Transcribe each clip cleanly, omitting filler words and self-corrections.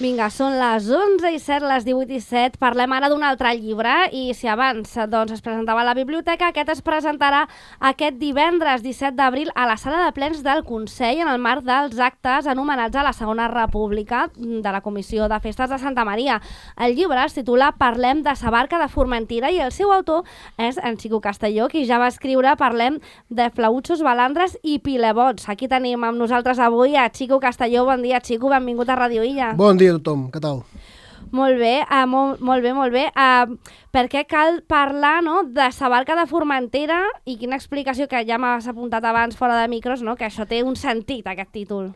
Vinga, són les 11:07, les 18:07. Parlem ara d'un altre llibre i si abans es presentava a la biblioteca, aquest es presentarà aquest divendres 17 d'abril a la sala de plens del Consell en el marc dels actes anomenats a la Segona República de la Comissió de Festes de Santa Maria. El llibre es titula Parlem de sa barca de Formentera i el seu autor és en Xico Castelló, qui ja va escriure Parlem de flautxos, balandres i pilebots. Aquí tenim amb nosaltres avui a Xico Castelló. Bon dia, Xico, benvingut a Radio Illa. Bon dia a tothom, què tal? Molt bé, molt bé. Per què cal parlar de sa barca de Formentera i quina explicació, que ja m'has apuntat abans fora de micros, que això té un sentit, aquest títol?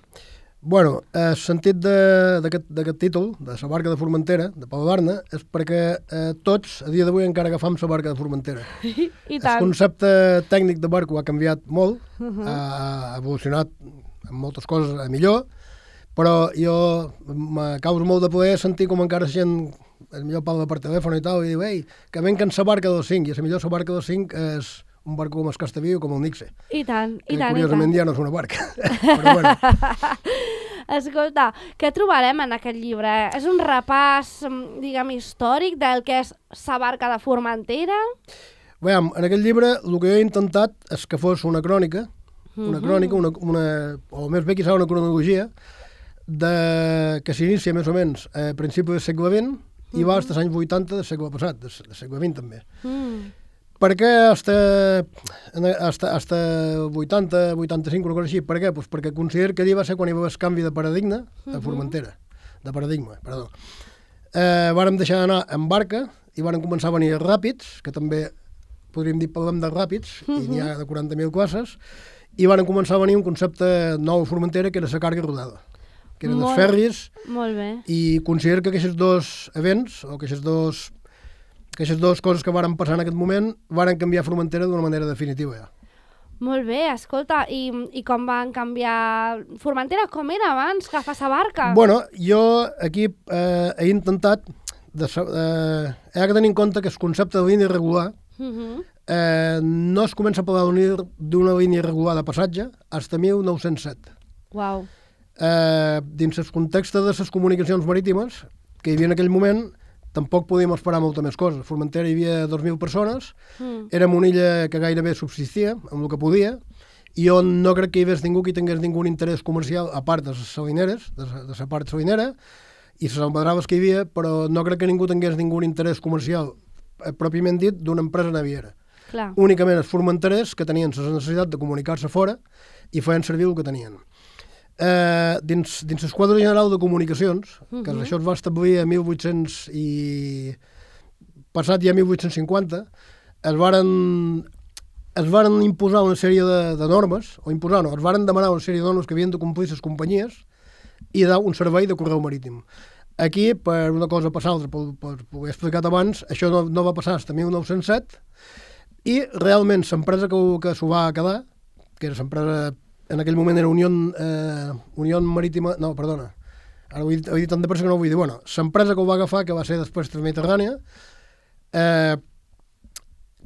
Bueno, el sentit d'aquest títol, de sa barca de Formentera, de Pau Barna, és perquè tots, a dia d'avui, encara agafam sa barca de Formentera. I tant. El concepte tècnic de barco ha canviat molt, ha evolucionat en moltes coses a millor, però jo me causa molt de poder sentir com encara gent, millor parla per telèfon i tal, i diu, ei, que venquen sa barca del 5, i a millor sa barca del 5 és un barco com el Castaviu, com el Nixe. I tant, i que tant. curiosament ja no és una barca. Però bueno. Escolta, què trobarem en aquest llibre? És un repàs, diguem, històric del que és sa barca de Formentera? Veiem, en aquest llibre el que jo he intentat és que fos una crònica, o més bé, quizà una cronologia, que s'inicia més o menys a principi del segle XX i va als anys 80 del segle passat, del segle XX també. Per què hasta 80, 85, una cosa així? Per què? Pues perquè considero que allà va ser quan hi va haver el canvi de paradigma a Formentera, de paradigma, perdó. Vàrem deixar d'anar en barca i vàrem començar a venir ràpids, que també podríem dir parlem de ràpids, i n'hi ha de 40.000 classes, i vàrem començar a venir un concepte nou a Formentera, que era la càrrega rodada, que eren els ferris. Molt bé. I considero que aquests dos events, o que aquestes dues coses que varen passar en aquest moment, varen canviar Formentera d'una manera definitiva ja. Molt bé, escolta, i com van canviar Formentera? Com era abans que fa sa barca? Bueno, jo aquí he intentat, he de tenir en compte que el concepte de línia irregular no es comença a parlar d'una línia irregular de passatge fins a 1907. Uau. Dins el context de les comunicacions marítimes que hi havia en aquell moment, tampoc podíem esperar molta més coses. A Formentera hi havia 2.000 persones, érem una illa que gairebé subsistia amb el que podia, i on no crec que hi hagués ningú que tingués ningú interès comercial, a part de les salineres, de la part salinera, i les almadraves que hi havia, però no crec que ningú tingués ningú interès comercial, pròpiament dit, d'una empresa naviera. Clar. Únicament els formenterers que tenien la necessitat de comunicar-se fora i feien servir el que tenien. Dins el quadre general de comunicacions, que això es va establir a 1800 i passat ja 1850, es varen imposar una sèrie de normes, es varen demanar una sèrie de normes que havien de complir les companyies i dar un servei de correu marítim. Aquí, per una cosa per l'altra, per ho he explicat abans, això no va passar fins a 1907, i realment l'empresa que s'ho va quedar, que era l'empresa, en aquell moment era Unió Marítima, no, perdona, ara ho he dit tant de pressa que no ho vull dir, bueno, l'empresa que ho va agafar, que va ser després Transmediterrània,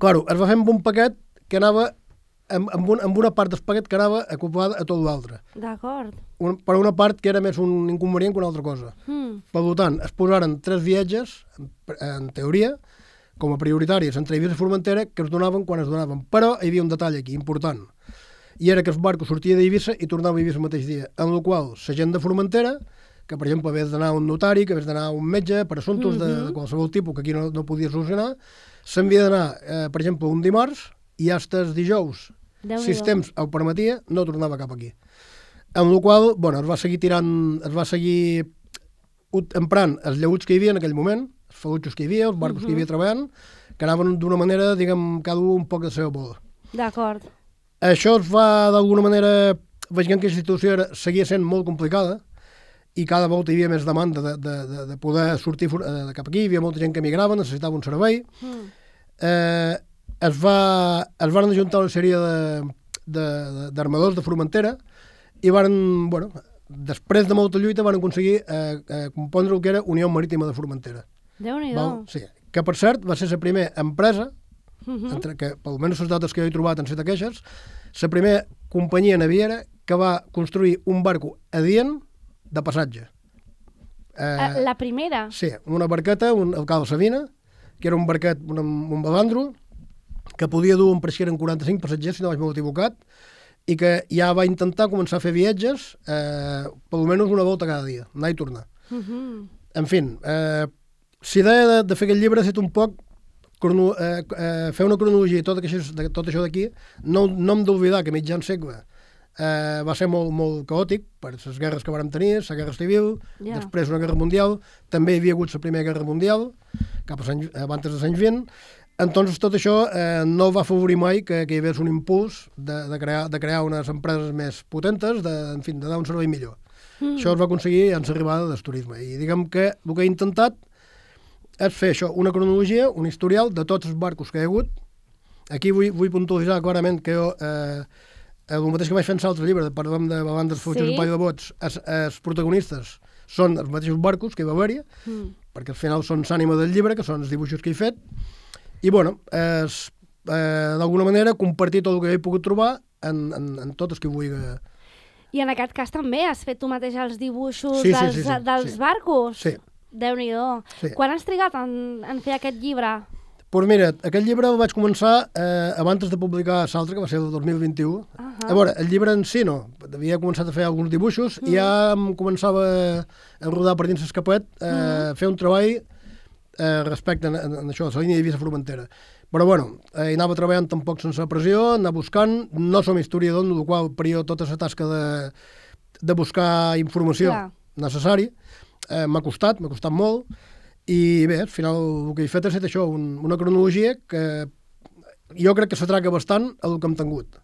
claro, es va fer amb un paquet que anava, amb una part del paquet que anava acoplada a tot l'altre. D'acord. Per una part que era més un inconvenient que una altra cosa. Per tant, es posaren 3 viatges, en teoria, com a prioritaris entre Eivissa i Formentera, que es donaven quan es donaven. Però hi havia un detall aquí, important, i era que el barco sortia d'Eivissa i tornava a Eivissa el mateix dia, en el qual la gent de Formentera, que per exemple hagués d'anar a un notari, que hagués d'anar a un metge per assumptes de qualsevol tipus que aquí no podia solucionar, s'havia d'anar, per exemple, un dimarts i fins el dijous, si el temps ho permetia, no tornava cap aquí. En el qual, bueno, es va seguir emprant els lleuts que hi havia en aquell moment, els falutxos que hi havia, els barcos que hi havia treballant, que anaven d'una manera, diguem, cada un poc de la seva bola. D'acord. Això es va, d'alguna manera, veient que la situació seguia sent molt complicada i cada volta hi havia més demanda de poder sortir cap aquí, hi havia molta gent que migrava, necessitava un servei. Es van ajuntar una sèrie d'armadors de Formentera i van, bueno, després de molta lluita van aconseguir compondre el que era Unió Marítima de Formentera. Déu-n'hi-do. Sí, que per cert va ser la primera empresa, que per almenys les dates que jo he trobat han estat aquestes, la primera companyia naviera que va construir un barco adient de passatge. La primera? Sí, una barqueta, el Cal Sabina, que era un barquet, un balandro, que podia dur un pareixer en 45 passatgers, si no vaig molt equivocat, i que ja va intentar començar a fer viatges per almenys una volta cada dia, anar i tornar. En fi, si idea de fer aquest llibre ha estat un poc fer una cronologia i tot això d'aquí, no hem d'oblidar que mitjan segle va ser molt caòtic per les guerres que vàrem tenir, la guerra civil, després una guerra mundial, també hi havia hagut la primera guerra mundial, abans dels anys 20. Entonces tot això no va afavorir mai que hi hagués un impuls de crear unes empreses més potentes, de dar un servei millor. Això es va aconseguir en l'arribada del turisme. I diguem que el que he intentat és fer això, una cronologia, un historial de tots els barcos que hi ha hagut. Aquí vull puntualitzar clarament que jo, el mateix que vaig fer en l'altre llibre, parlem de balandres, fletxes i palla de bots, els protagonistes són els mateixos barcos que hi va haver-hi, perquè al final són l'ànima del llibre, que són els dibuixos que he fet. I, bueno, d'alguna manera, compartir tot el que he pogut trobar en tot el que vull. I en aquest cas també has fet tu mateix els dibuixos dels barcos? Sí. Déu-n'hi-do. Sí. Quan has trigat en fer aquest llibre? Doncs mira, aquest llibre el vaig començar abans de publicar l'altre, que va ser el 2021. A veure, el llibre en si no. Havia començat a fer alguns dibuixos i ja em començava a rodar per dins l'escapet, fer un treball respecte a això, a la línia d'Eivissa-Formentera. Però, bueno, hi anava treballant tampoc sense pressió, anar buscant. No som historiador, amb la qual faria tota la tasca de buscar informació necessari. M'ha costat molt. I bé, al final el que he fet ha estat això, una cronologia que jo crec que s'atraca bastant a el que hem tingut.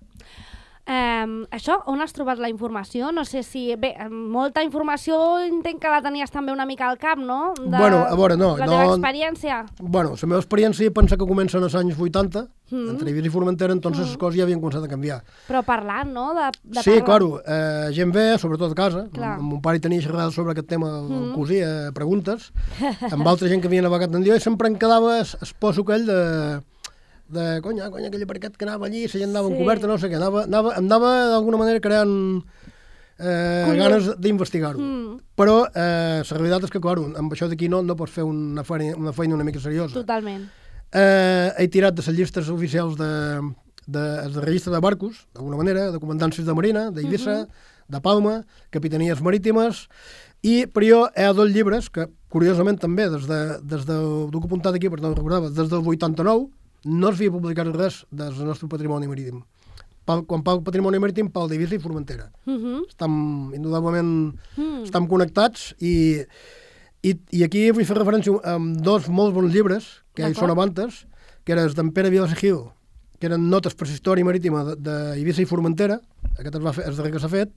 Això, on has trobat la informació? No sé si... Bé, molta informació entenc que la tenies també una mica al cap, no? Bueno, a veure, no. La teva experiència? Bueno, la meva experiència pensa que comença als anys 80, entre Eivissa i Formentera, entonces les coses ja havien començat a canviar. Però parlant, no? Sí, claro, gent ve, sobretot a casa. Mon pare tenia xerrades sobre aquest tema, el cosí, preguntes, amb altra gent que havia navegat en Dió, i sempre em quedava el poso aquell conya, aquell barquet que anava allí, la gent anava encoberta, no sé què, em anava d'alguna manera creant ganes d'investigar-ho. Però la realitat és que, clar, amb això d'aquí no pots fer una feina una mica seriosa. Totalment. He tirat de les llistes oficials de registre de barcos, d'alguna manera, de comandàncies de Marina, d'Eivissa, de Palma, capitanies marítimes, però jo hi ha dos llibres que, curiosament també, des del que he apuntat aquí, perquè no recordava, des del 89, no es havia publicat res del nostre patrimoni marítim. Quan parlo patrimoni marítim, parlo d'Eivissa i Formentera. Indudablement estem connectats i aquí vull fer referència a dos molt bons llibres que hi són avantes, que eren d'en Pere Vilasegil, que eren notes per la història marítima d'Eivissa i Formentera, aquest és darrer que s'ha fet,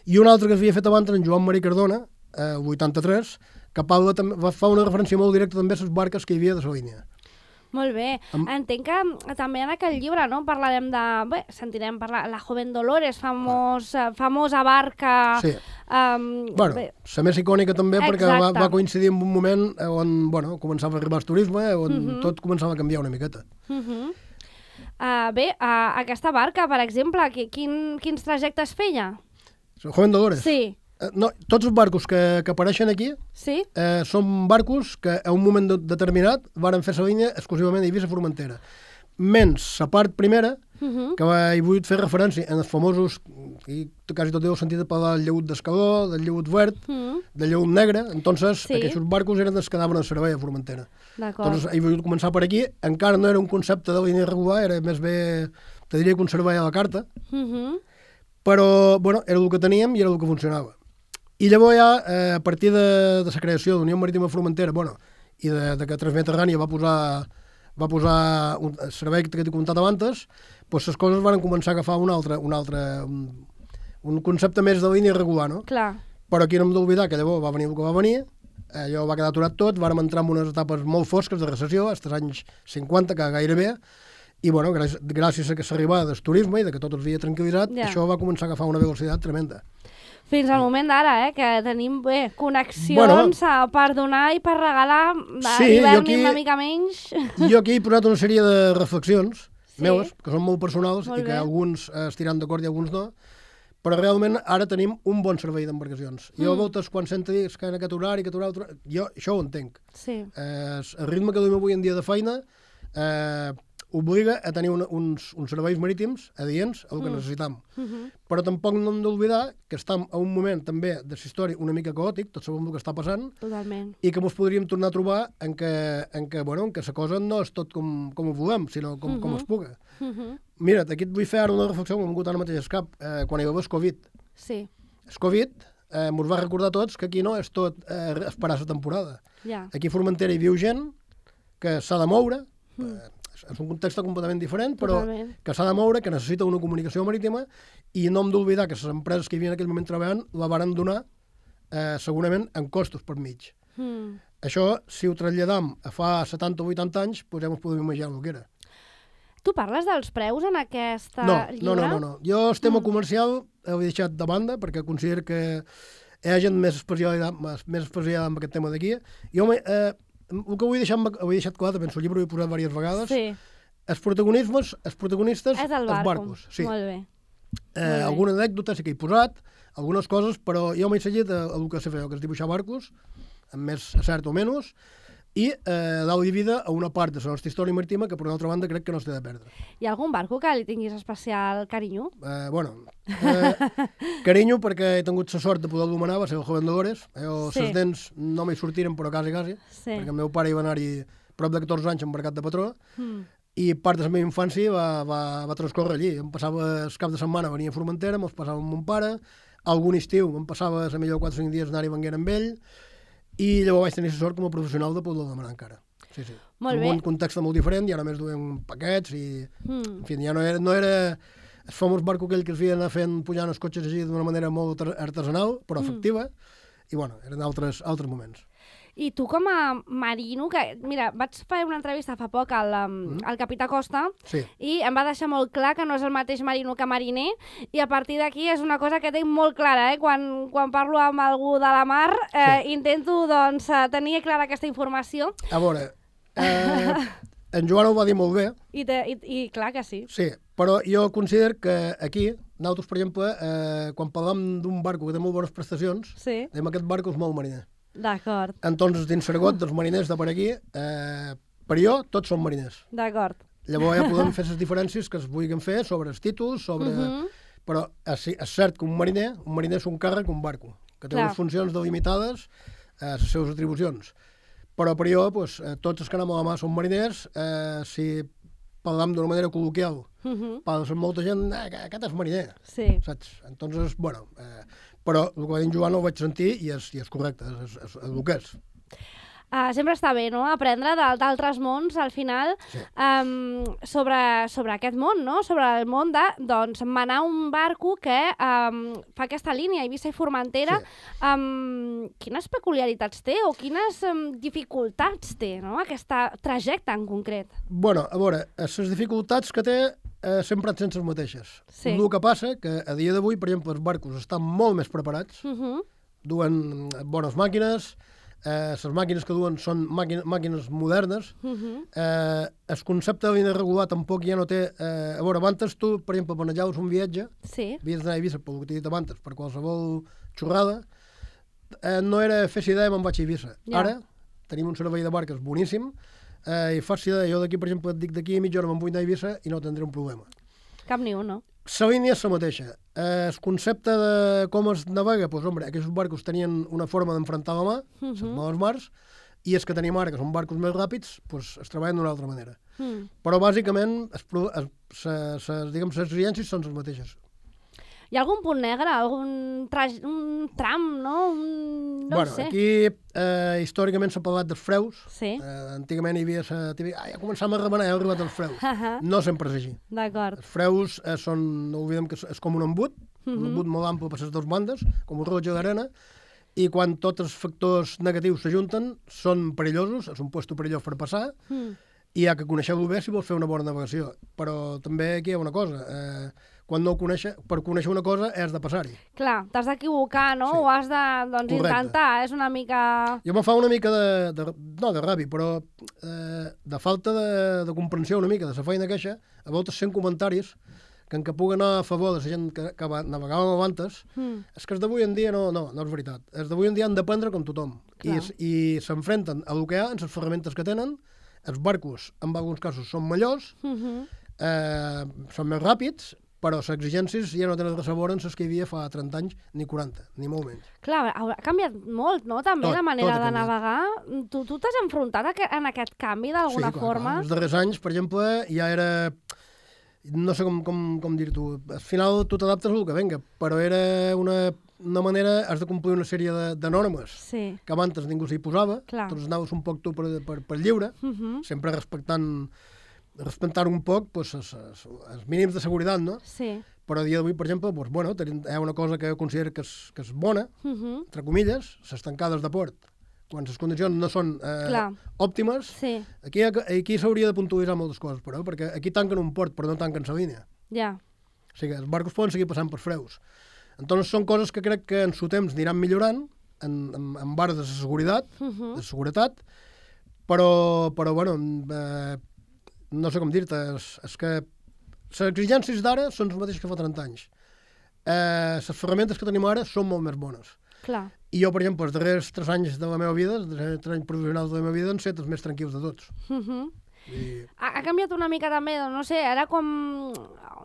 i un altre que s'havia fet abans, en Joan Marí Cardona, el 83, que fa una referència molt directa també a les barques que hi havia de la línia. Molt bé. Entenc que també en aquell llibre, no?, parlarem de... Bé, sentirem parlar... La Joven Dolores, famosa barca... Sí. Bueno, la més icònica també perquè va coincidir en un moment on, bueno, començava a arribar el turisme, on tot començava a canviar una miqueta. Bé, aquesta barca, per exemple, quins trajectes feia? La Joven Dolores? Sí. No, tots els barcos que apareixen aquí són barcos que a un moment determinat varen fer la línia exclusivament d'Eivissa-Formentera. Menys la part primera, que he volgut fer referència en els famosos, i quasi tot heu sentit parlar del lleut d'Escaló, del lleut verd, del lleut negre, entonces aquests barcos eren els que anaven al servei a Formentera. Entonces he volgut començar per aquí, encara no era un concepte de línia regular, era més bé, te diria que un servei a la carta, però bueno, era el que teníem i era el que funcionava. I llavors ja, a partir de la creació de l'Unió Marítima Formentera, i de que Transmediterrània va posar un servei que t'he comentat abans, doncs les coses van començar a agafar un concepte més de línia regular, no? Clar. Però aquí no hem d'oblidar que llavors va venir el que va venir, allò va quedar aturat tot, vàrem entrar en unes etapes molt fosques de recessió, als anys 50, que gairebé, i bueno, gràcies a aquesta arribada del turisme i de que tot havia tranquil·litzat, això va començar a agafar una velocitat tremenda. Fins al moment d'ara, que tenim connexions per donar i per regalar, d'hivern una mica menys. Jo aquí he posat una sèrie de reflexions meves, que són molt personals i que alguns estiran d'acord i alguns no, Però realment ara tenim un bon servei d'embarcacions. Jo a voltes, quan sento dir que en aquest horari, que altre... jo això ho entenc. Sí. El ritme que duim avui en dia de feina obliga a tenir uns serveis marítims adients al que necessitam. Però tampoc no hem d'oblidar que estem a un moment també de la història una mica caòtic, tots sabem el que està passant, Totalment. i que ens podríem tornar a trobar en què la cosa no és tot com ho volem, sinó com es puga. Mira't, aquí et vull fer ara una reflexió que m'ha vingut ara mateix al cap, quan hi va haver el Covid. Sí. El Covid ens va recordar a tots que aquí no és tot esperar la temporada. Ja. Aquí a Formentera hi viu gent que s'ha de moure, és un context completament diferent, però Totalment. que s'ha de moure, que necessita una comunicació marítima, i no hem d'oblidar que les empreses que hi havia en aquell moment treballant la varen donar segurament en costos per mig. Això, si ho traslladam a fa 70 o 80 anys, doncs ja ens podem imaginar el que era. Tu parles dels preus en aquesta llibre? No. Jo el tema comercial ho he deixat de banda perquè considero que hi ha gent més especialitzada en aquest tema d'aquí. Jo el que ho he deixat clar, també en el llibre ho he posat diverses vegades, Sí. els protagonistes, És el els barco. barcos. Sí. Molt bé. Alguna anècdota sí que he posat, algunes coses, però jo m'he seguit el que sé fer, que és dibuixar barcos, amb més cert o menys, i dar-li vida a una part de la nostra història marítima que, per una altra banda, crec que no es té de perdre. Hi ha algun barco que li tinguis especial carinyo? Carinyo perquè he tingut la sort de poder anomenar, va ser el Joven Dolores. Sí. Les dents no m'hi sortiren, però quasi, Sí. perquè el meu pare hi va anar-hi prop de 14 anys embarcat de patró, i part de la meva infància va transcorrer allí. Em passava el cap de setmana, venia a Formentera, me'ls passava amb mon pare, algun estiu em passava a millor 4 o 5 dies anar-hi venguent amb ell, i llavors vaig tenir la sort com a professional de poder demanar encara. Sí. Molt bé. En un context molt diferent, ja només duem paquets i... En fi, ja no era el famós barco aquell que es feia anar fent pujant els cotxes així d'una manera molt artesanal, però efectiva, i bueno, eren altres moments. I tu com a marino, que mira, vaig fer una entrevista fa poc al capità Costa Sí. i em va deixar molt clar que no és el mateix marino que mariner, i a partir d'aquí és una cosa que tinc molt clara, quan parlo amb algú de la mar, intento doncs tenir clara aquesta informació. A veure, en Joan ho va dir molt bé, I clar que sí. sí, però jo considero que aquí, nosaltres, per exemple, quan parlem d'un barco que té molt bones prestacions, Sí, dèiem aquest barco és molt mariner. d'acord, Entonces, dins l'argot dels mariners de per aquí, per jo, tots són mariners. d'acord. Llavors ja podem fer les diferències que es vulguin fer sobre els títols, però és cert que un mariner és un càrrec, un barco, que té Clar. unes funcions delimitades a les seves atribucions. Però per jo, doncs, tots els que anem a la mà són mariners, si parlam d'una manera col·loquial, parla amb molta gent, aquest és mariner, Sí. saps? Entonces, bueno, però el que va dir en Joan ho vaig sentir i és correcte, és el que és. Sempre està bé, no?, aprendre d'altres mons, al final, Sí. sobre aquest món, no?, sobre el món de, doncs, manar un barco que fa aquesta línia, Eivissa i Formentera. Sí. Quines peculiaritats té o quines dificultats té, no?, aquesta trajecte en concret? Bueno, a veure, les dificultats que té sempre han sent les mateixes. Sí. El que passa que a dia d'avui, per exemple, els barcos estan molt més preparats, duen bones màquines, les màquines que duen són màquines modernes, el concepte de línia regular tampoc ja no té... a veure, abans tu, per exemple, planejaves un viatge, Sí. havies d'anar a Eivissa, pel que t'he dit abans, per qualsevol xorrada, no era fer idea i me'n vaig a Eivissa. Ja. Ara tenim un servei de barques boníssim, i fas idea, jo d'aquí, per exemple, et dic d'aquí a mitja hora me'n vull anar a Eivissa i no tindré un problema. Cap ni un, no? La línia és la mateixa. El concepte de com es navega, doncs, home, aquests barcos tenien una forma d'enfrontar la mà, les males mars, i els que tenim ara, que són barcos més ràpids, doncs es treballen d'una altra manera. Però, bàsicament, les exigències són les mateixes. Hi ha algun punt negre, un tram, no? No ho sé. Aquí històricament s'ha parlat dels freus. Sí. Antigament hi havia ja començàvem a remenar, ja han arribat els freus. No sempre és així. D'acord. Els freus són, no oblidem que és com un embut molt ample per les dues bandes, com un rellotge d'arena, i quan tots els factors negatius s'ajunten són perillosos, és un lloc perillós per passar, i hi ha que conèixer-ho bé si vols fer una bona navegació. Però també aquí hi ha una cosa, quan no ho coneixes, per conèixer una cosa has de passar-hi. Clar, t'has d'equivocar, no? Sí. Ho has de, doncs, Correcte. intentar, és una mica... Jo me fa una mica no de ràbia, però de falta de comprensió una mica de la feina queixa, a voltes sent comentaris que en què pugui anar a favor de la gent que navegàvem abans, és que els d'avui en dia no és veritat. Els d'avui en dia han d'aprendre com tothom. I s'enfrenten a el que hi ha, amb les ferramentes que tenen. Els barcos, en alguns casos, són millors, són més ràpids, però les exigències ja no tenen res a veure amb les que hi havia fa 30 anys, ni 40, ni molt menys. Clar, ha canviat molt, no?, també la manera de navegar. Tu t'has enfrontat en aquest canvi d'alguna forma? Sí, els darrers anys, per exemple, ja era... No sé com dir-t'ho. Al final tu t'adaptes al que venga, però era una manera... Has de complir una sèrie de normes que abans ningú s'hi posava. Tots anaves un poc tu per lliure, sempre respectar un poc els mínims de seguretat, no? Sí. Però a dia d'avui, per exemple, hi ha una cosa que jo considero que és bona, entre comilles, les tancades de port. Quan les condicions no són òptimes, aquí s'hauria de puntualitzar moltes coses, però, perquè aquí tanquen un port, però no tanquen la línia. Ja. O sigui, els barcos poden seguir passant per freus. Entonces són coses que crec que en su temps aniran millorant, en barres de seguretat, però bueno, no sé com dir-te, és que les exigències d'ara són les mateixes que fa 30 anys. Les ferramentes que tenim ara són molt més bones. Clar. I jo, per exemple, els darrers 3 anys de la meva vida, els darrers 3 anys professionals de la meva vida, han estat els més tranquils de tots. Ha canviat una mica també, no sé, ara com...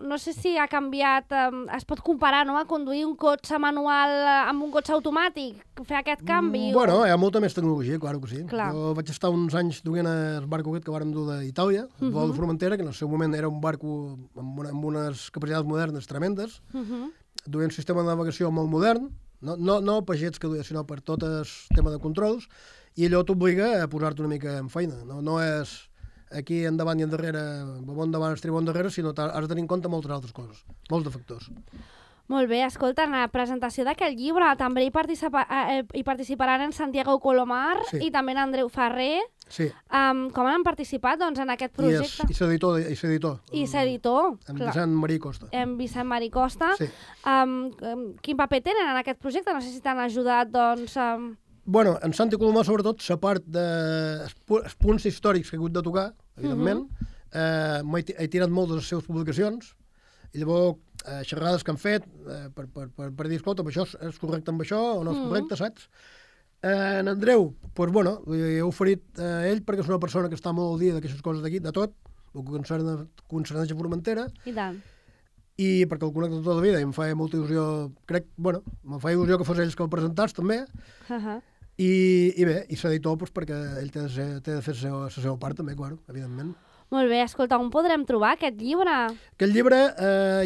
No sé si ha canviat... Es pot comparar, no?, a conduir un cotxe manual amb un cotxe automàtic, fer aquest canvi? Bueno, hi ha molta més tecnologia, clar que sí. Clar. Jo vaig estar uns anys duent el barco aquest que vàrem dur d'Itàlia, el vol de Formentera, que en el seu moment era un barco amb unes capacitats modernes tremendes, duent un sistema de navegació molt modern, no per jets que duia, sinó per tot el tema de controls, i allò t'obliga a posar-te una mica en feina. No és aquí endavant i endarrere, bon davant, estribó endarrere, sinó que has de tenir en compte moltes altres coses, molts de factors. Molt bé, escolta, en la presentació d'aquest llibre també hi participaran en Santiago Colomar i també en Andreu Ferrer. Sí. Com han participat doncs, en aquest projecte? I s'editor. I s'editor. En Vicent Marí Costa. En Vicent Marí Costa. Sí. Quin paper tenen en aquest projecte? No sé si t'han ajudat, doncs... Bueno, en Santi Colomar, sobretot, la part dels punts històrics que he hagut de tocar, evidentment, he tirat molt de les seves publicacions, i llavors xerrades que han fet per dir, escolta, això és correcte amb això o no és correcte, saps? En Andreu, doncs, bueno, he oferit a ell perquè és una persona que està molt al dia d'aquestes coses d'aquí, de tot, el que concerneix a Formentera. I tant. I perquè el connecto tota la vida i em feia molta il·lusió, me feia il·lusió que fos ells que el presentàs també, i bé, i s'editor perquè ell té de fer la seva part també, clar, evidentment. Molt bé, escolta, on podrem trobar aquest llibre? Aquest llibre,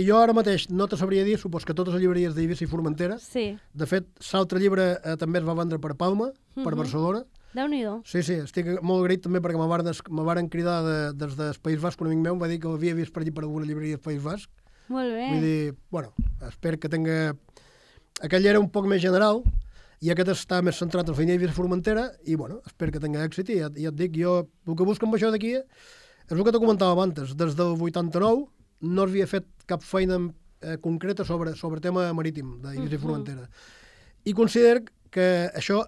jo ara mateix no te sabria dir, supos que totes les llibreries d'Eivissa i Formentera. Sí. De fet, l'altre llibre també es va vendre per Palma, per Barcelona. Déu-n'hi-do. Sí, estic molt agraït també perquè me varen cridar des del País Basc, un amic meu, em va dir que l'havia vist per allí per alguna llibreria del País Basc. Molt bé. Vull dir, bueno, espero que tinga... Aquell era un poc més general, i aquest està més centrat en la feina d'Eivissa i Formentera, i bueno, espero que tinga èxit, i ja et dic, jo el que busco amb això d'aquí és el que te comentava abans, des del 89 no havia fet cap feina concreta sobre tema marítim d'Eivissa i Formentera. I considero que això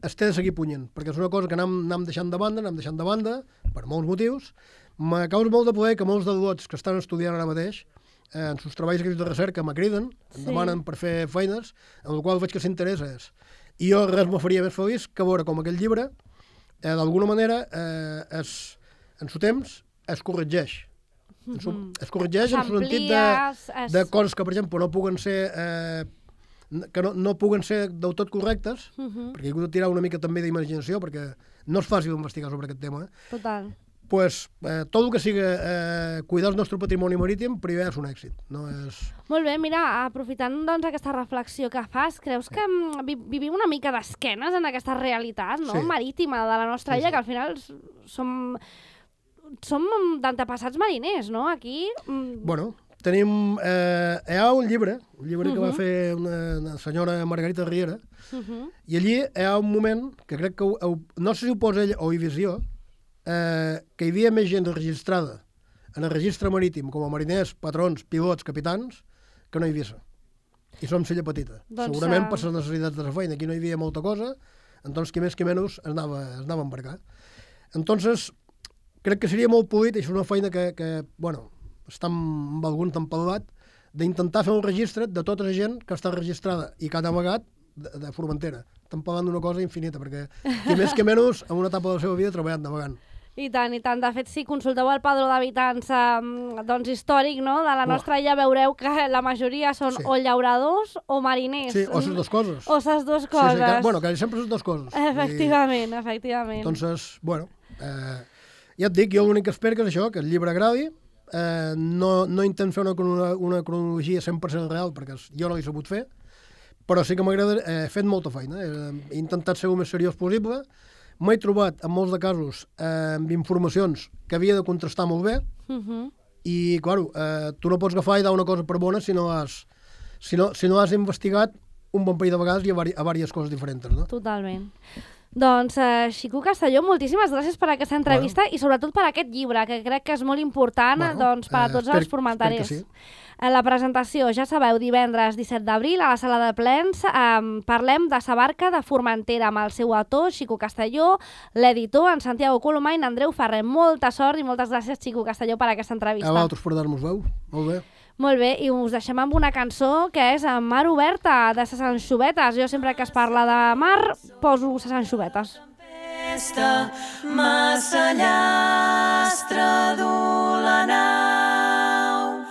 es té de seguir punyent, perquè és una cosa que anem deixant de banda, per molts motius. Me causa molt de poder que molts d'adults que estan estudiant ara mateix en els treballs de recerca me criden, em demanen per fer feines, en el qual veig que s'interessa és. I jo res me faria més feliç que veure com aquell llibre, d'alguna manera, en su temps, es corregeix. Es corregeix en el sentit de coses que, per exemple, no puguen ser... que no puguen ser del tot correctes, perquè he hagut de tirar una mica també d'imaginació, perquè no és fàcil investigar sobre aquest tema. Total. Pues, tot el que siga cuidar el nostre patrimoni marítim, primer és un èxit. No és... Molt bé, mira, aprofitant doncs, aquesta reflexió que fas, creus que vivim una mica d'esquenes en aquesta realitat marítima de la nostra illa, que al final som d'antepassats mariners, no? Aquí... Bueno, tenim... hi ha un llibre que va fer una senyora Margarita Riera, i allí hi ha un moment que crec que, no sé si ho posa ell o Eivissa, que hi havia més gent registrada en el registre marítim com a mariners, patrons, pilots, capitans, que no a Eivissa. I som l'illa petita. Doncs, segurament per les necessitats de la feina. Aquí no hi havia molta cosa, entonces qui més qui menys es anava a embarcar. Entonces, crec que seria molt polit, i és una feina que bueno, està amb algun tempelat, d'intentar fer un registre de tota la gent que està registrada i que ha navegat de Formentera. Estem parlant d'una cosa infinita, perquè qui més que menys, en una etapa de la seva vida, ha treballat navegant. I tant, i tant. De fet, si consulteu el padró d'habitants doncs històric, no?, de la nostra illa, veureu que la majoria són o llauradors o mariners. Sí, o les dues coses. O les dues coses. Sí, bueno, que sempre les dues coses. Efectivament, efectivament. Entonces, bueno, ja et dic, jo l'únic que espero que és això, que el llibre agradi. No intent fer una cronologia 100% real, perquè jo no l'he sabut fer, però sí que m'agrada, he fet molta feina. He intentat ser el més seriós possible. M'he trobat, en molts de casos, amb informacions que havia de contrastar molt bé, i, clar, tu no pots agafar i dar una cosa per bona si no has investigat un bon parell de vegades i a diverses coses diferents, no? Totalment. Doncs, Xico Castelló, moltíssimes gràcies per aquesta entrevista i sobretot per aquest llibre, que crec que és molt important per a tots els formentaris. Sí. La presentació, ja sabeu, divendres 17 d'abril a la sala de plens. Parlem de sa barca de Formentera amb el seu autor, Xico Castelló, l'editor, en Santiago Colomà i en Andreu Ferrer. Molta sort i moltes gràcies, Xico Castelló, per aquesta entrevista. A vosaltres per dar-nos veu. Molt bé. Molt bé, i us deixem amb una cançó que és Mar oberta, de ses anxovetes. Jo sempre que es parla de mar poso ses anxovetes. Massa llastre du la nau,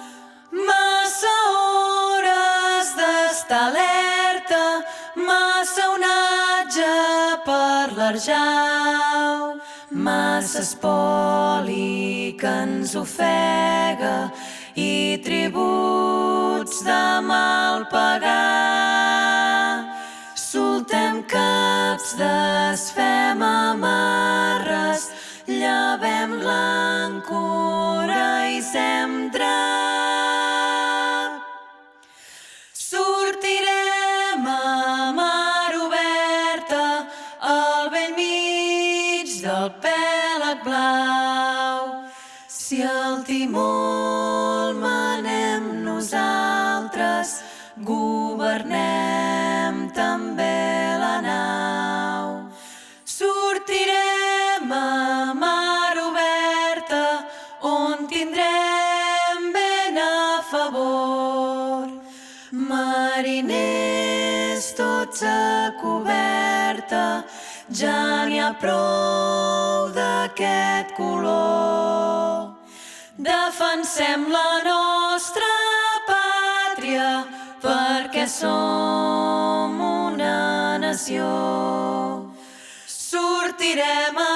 massa hores d'estar alerta, massa onatge per l'arjau, massa espoli que ens ofega i tributs de mal pagar. Soltem caps, desfem amarres, llevem l'àncora i sem drap. Sortirem a mar oberta al bell mig del pèlag blau. Si el timó el manem nosaltres, governem també la nau. Sortirem a mar oberta on tindrem ben a favor. Mariners tots a coberta, ja n'hi ha prou d'aquest color. Defensem la nostra pàtria perquè som una nació. Sortirem a